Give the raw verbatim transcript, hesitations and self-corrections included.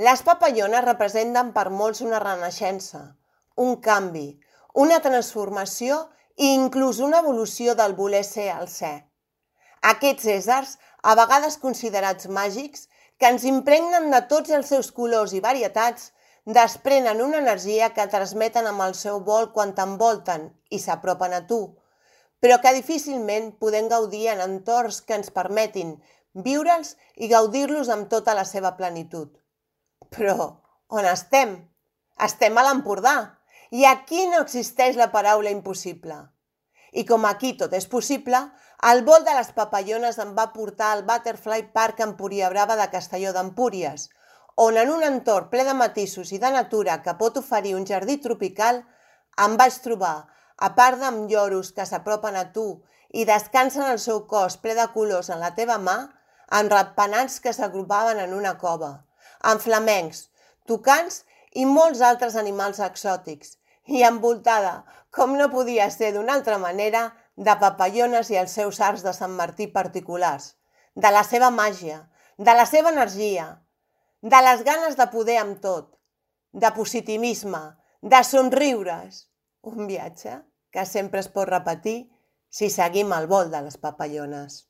Les papallones representen per molts una renaixença, un canvi, una transformació i inclús una evolució del voler ser al ser. Aquests éssers, a vegades considerats màgics, que ens impregnen de tots els seus colors i varietats, desprenen una energia que transmeten amb el seu vol quan t'envolten i s'apropen a tu, però que difícilment podem gaudir en entorns que ens permetin viure'ls i gaudir-los amb tota la seva plenitud. Però on estem? Estem a l'Empordà i aquí no existeix la paraula impossible. I com aquí tot és possible, el vol de les papallones em va portar al Butterfly Park Empuriabrava de Castelló d'Empúries, on en un entorn ple de matisos i de natura que pot oferir un jardí tropical, em vaig trobar, a part d'amb lloros que s'apropen a tu i descansen el seu cos ple de colors en la teva mà, amb ratpenats que s'agrupaven en una cova, amb flamencs, tucans i molts altres animals exòtics, i envoltada, com no podia ser d'una altra manera, de papallones i els seus arcs de Sant Martí particulars, de la seva màgia, de la seva energia, de les ganes de poder amb tot, de positivisme, de somriures. Un viatge que sempre es pot repetir si seguim el vol de les papallones.